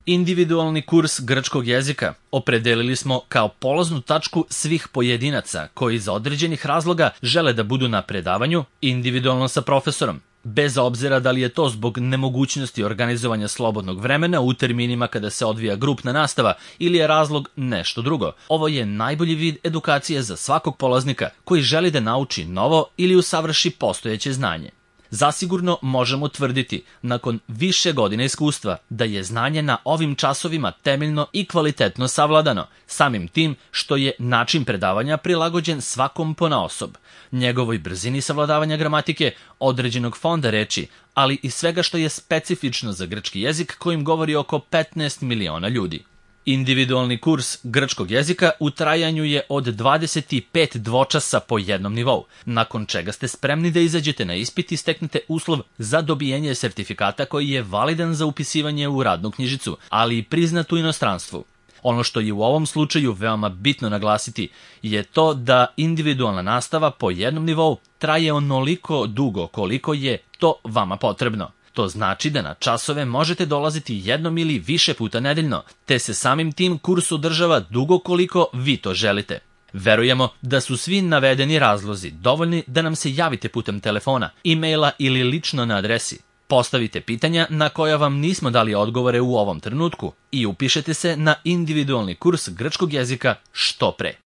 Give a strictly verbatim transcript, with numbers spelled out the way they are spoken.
Individualni kurs grčkog jezika opredelili smo kao polaznu tačku svih pojedinaca koji iz određenih razloga žele da budu na predavanju individualno sa profesorom, bez obzira da li je to zbog nemogućnosti organizovanja slobodnog vremena u terminima kada se odvija grupna nastava ili je razlog nešto drugo. Ovo je najbolji vid edukacije za svakog polaznika koji želi da nauči novo ili usavrši postojeće znanje. Zasigurno možemo tvrditi, nakon više godina iskustva, da je znanje na ovim časovima temeljno i kvalitetno savladano, samim tim što je način predavanja prilagođen svakom ponaosob, njegovoj brzini savladavanja gramatike, određenog fonda reči, ali i svega što je specifično za grčki jezik kojim govori oko petnaest miliona ljudi. Individualni kurs grčkog jezika u trajanju je od dvadeset pet dvočasa po jednom nivou, nakon čega ste spremni da izađete na ispit i steknete uslov za dobijenje sertifikata koji je validan za upisivanje u radnu knjižicu, ali i priznat u inostranstvu. Ono što je u ovom slučaju veoma bitno naglasiti je to da individualna nastava po jednom nivou traje onoliko dugo koliko je to vama potrebno. To znači da na časove možete dolaziti jednom ili više puta nedeljno, te se samim tim kurs održava dugo koliko vi to želite. Verujemo da su svi navedeni razlozi dovoljni da nam se javite putem telefona, e-maila ili lično na adresi. Postavite pitanja na koja vam nismo dali odgovore u ovom trenutku i upišete se na individualni kurs grčkog jezika što pre.